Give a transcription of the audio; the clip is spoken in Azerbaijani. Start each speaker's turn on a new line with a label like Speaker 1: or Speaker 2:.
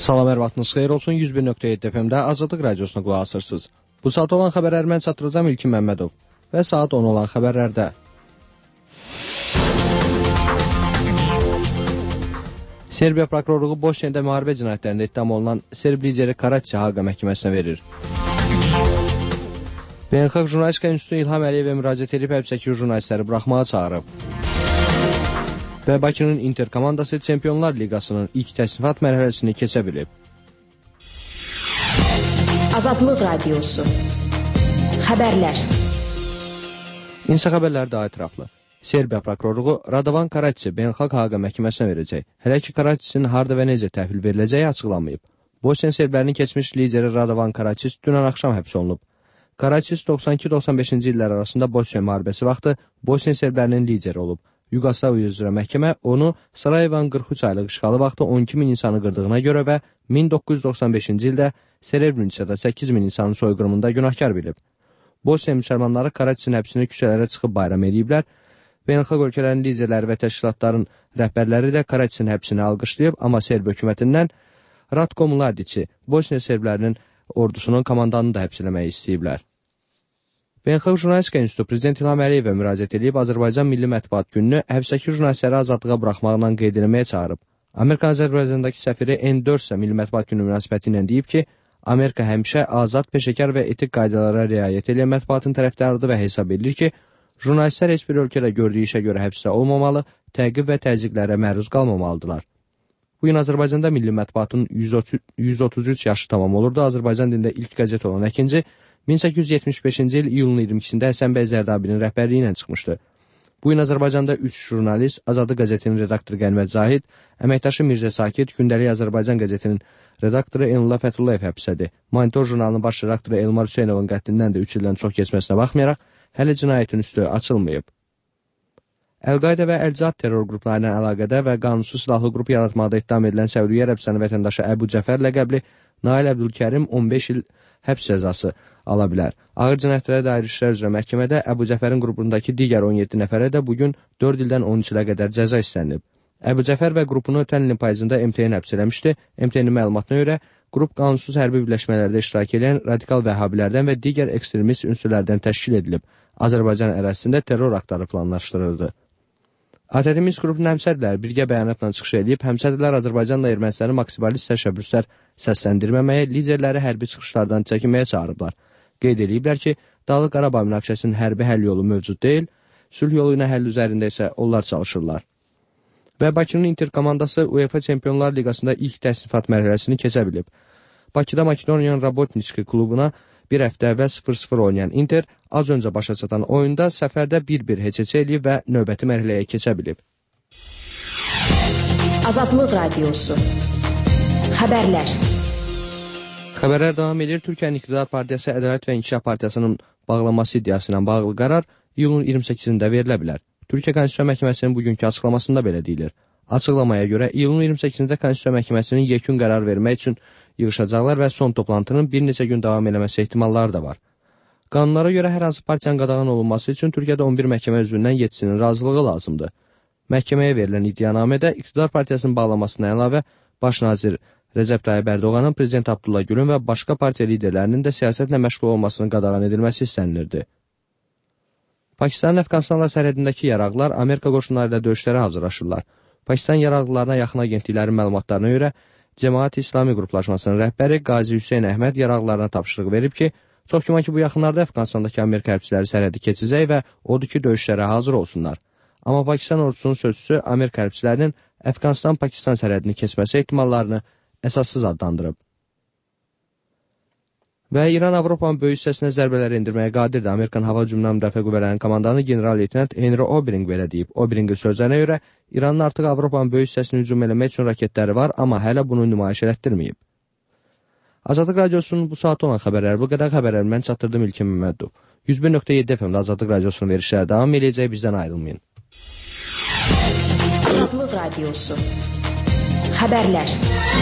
Speaker 1: Salam, hər vaxtınız xeyir olsun. 101.7 FM-də Azadlıq Radiosuna qulaq asırsınız. Bu saat olan xəbərləri mən çatdıracağam İlkin Məmmədov və saat 10 olan xəbərlərdə. Serbiya prokurorluğu Bosniyada müharibə cinayətlərində ittiham olunan Serb lideri Karaçi Haqa məhkəməsinə verir. Beynəlxalq Jurnalistika İnstitutu İlham Əliyevə müraciət edib həbsdəki jurnalistləri buraxmağa çağırıb. Və Bakının Inter komandası Çempionlar Liqasının ilk təsnifat mərhələsini keçə bilib.
Speaker 2: Azadlıq Radiosu. Xəbərlər.
Speaker 1: İnsa xəbərləri daha ətraflı. Serbiya prokurorluğu Radovan Karaçi Beynəlxalq Haqa məhkəməsinə verəcək. Hələ ki Karaçinin harda və necə təhvil veriləcəyi açıqlanmayıb. Bosniya serblərinin keçmiş lideri Radovan Karaçi dünən axşam həbs olunub. Karaçi 92-95-ci illər arasında Bosniya müharibəsi vaxtı Bosniya serblərinin lideri olub. Yugoslaviya üzrə məhkəmə onu Sarayevan 43 aylıq işğalı vaxtı 12 min insanı qırdığına görə və 1995-ci ildə Srebrenicada 8 min insanın soyqırımında günahkar bilib. Bosniya müsəlmanları Karaçinin həbsini küçələrə çıxıb bayram ediblər. Beynəlxalq ölkələrin liderləri və təşkilatların rəhbərləri də Karaçinin həbsini alqışlayıb, amma Serb hökumətindən Ratko Mladiçi, Bosniya serblərinin ordusunun komandanını da həbs eləmək istəyiblər. Beynəlxalq Jurnalistika İnstitutu Prezident İlham Əliyevə müraciət edib Azərbaycan Milli Mətbuat Gününü həbsdəki jurnalistləri azadlığa buraxmaqla qeyd eləməyə çağırıb. Amerika Azərbaycandakı səfiri N4 isə Milli Mətbuat Günü münasibəti ilə deyib ki, Amerika həmişə azad, peşəkar və etik qaydalara riayət edən mətbuatın tərəfdarıdır və hesab edilir ki, jurnalistlər heç bir ölkədə gördüyü işə görə həbsdə olmamalı, təqib və təzyiqlərə məruz qalmamalıdırlar. Bu gün Azərbaycanda milli mətbuatın 133 yaşı tamam olurdu. Azərbaycan dilində ilk qəzet olan Əkinci 1875-ci il iyulun 22-sində Həsən bəy Zərdabinin rəhbərliyi ilə çıxmışdı. Bu gün Azərbaycanda 3 jurnalist, Azadlıq qəzetinin redaktoru Qənvət Zahid, əməkdaşı Mirzə Sakit, Gündəlik Azərbaycan qəzetinin redaktoru Elnullah Fəthullayev həbsdədir. Monitor jurnalının baş redaktoru Elmar Hüseynovun qətlindən də 3 ildən çox keçməsinə baxmayaraq, hələ cinayətin üstü açılmayıb. Əl-Qayda və Əl-Cihad terror qruplarına əlaqədə və qanunsuz silahlı qrup yaratmaqda ittiham edilən Səudiyyə Ərəbistanı vətəndaşı Əbu Cəfər ləqəbli Nail Əbdülkərim 15 il həbs cəzası ala bilər. Ağır cinayətlərə dair işlər üzrə məhkəmədə Əbu Cəfərin qrupundakı digər 17 nəfərə də bugün 4 ildən 13 ilə qədər cəza istənilib. Əbu Cəfər və qrupunu ötən ilin payızında MTN həbs eləmişdi. MTN-in məlumatına görə qrup qanunsuz hərbi birləşmələrdə iştirak edən radikal vəhhabilərdən və digər ekstremist ünsürlərdən təşkil edilib. Azərbaycan ərazisində terror aktları planlaşdırıldı. ATƏT Minsk qrupunun həmsədrləri birgə bəyanatla çıxış edib, həmsədrlər Azərbaycanla Ermənistanı maksimalist təşəbbüslər səsləndirməməyə, liderləri hərbi çıxışlardan çəkinməyə çağırıblar. Qeyd ediblər ki, Dağlıq Qarabağ münaqişəsinin hərbi həll yolu mövcud deyil, sülh yolu ilə həll üzərində isə onlar çalışırlar. Və Bakının Inter komandası UEFA Çempionlar Liqasında ilk təsnifat mərhələsini keçə bilib. Bakıda Makedoniyan Rabotnitski klubuna bir həftə əvvəl 0-0 oynayan Inter az öncə başa çatan oyunda səfərdə 1-1 heçəçə eləyib və növbəti mərhələyə keçə bilib.
Speaker 2: Azadlıq Radiosu. Xəbərlər.
Speaker 1: Xəbərlər davam edir. Türkiyənin İqtidar Partiyası Ədalət və İnkişaf Partiyasının bağlanması iddiası ilə bağlı qərar iyulun 28-də verilə bilər. Türkiyə Konstitusiya Məhkəməsinin bugünkü açıqlamasında belə deyilir. Açıqlamaya görə iyulun 28-də Konstitusiya Məhkəməsinin yekun qərar vermək üçün yığışacaqlar və son toplantının bir neçə gün davam eləməsi ehtimalları da var. Qanunlara görə hər hansı partiyanın qadağan olunması üçün Türkiyədə 11 məhkəmə üzvündən 7-sinin razılığı lazımdır. Məhkəməyə verilən iddianamədə İqtidar Partiyasının bağlamasına əlavə baş nazir Rəcəb Tayyib Ərdoğanın, Prezident Abdullah Gülün və başqa partiya liderlərinin də siyasətlə məşğul olmasının qadağan edilməsi istənilirdi. Pakistanın Əfqanistanla sərhədindəki yaraqlar Amerika qoşunları ilə döyüşlərə hazırlaşırlar. Pakistan yaraqlılarına yaxın agentliklərin məlumatlarına görə Cəmaət İslami qruplaşmasının rəhbəri Qazi Hüseyn Əhməd yaraqlarına tapşırıq verib ki, çox güman ki, bu yaxınlarda Əfqanistandakı Amerika hərbçiləri sərhədi keçəcək və odur ki, döyüşlərə hazır olsunlar. Amma Pakistan ordusunun sözçüsü Amerika hərbçilərinin Əfqanistan-Pakistan sərhədini keçməsi ehtimallarını əsassız adlandırıb. Və İran Avropanın böyük hissəsinə zərbələr endirməyə qadirdir. Amerikan Hava Hücumundan Müdafiə Qüvvələrinin komandanı general-leytenant Henry Obering belə deyib. Oberingin sözlərinə görə İranın artıq Avropanın böyük hissəsini hücum eləmək üçün raketləri var, amma hələ bunu nümayiş elətdirməyib. Azadlıq Radiosunun bu saat olan xəbərləri bu qədər. Xəbərləri mən çatdırdım İlkin Məmmədov. 101.7 FM-də Azadlıq Radiosunun verişləri davam edəcək, bizdən ayrılmayın.
Speaker 2: Azadlıq Radiosu. Xəbərlər.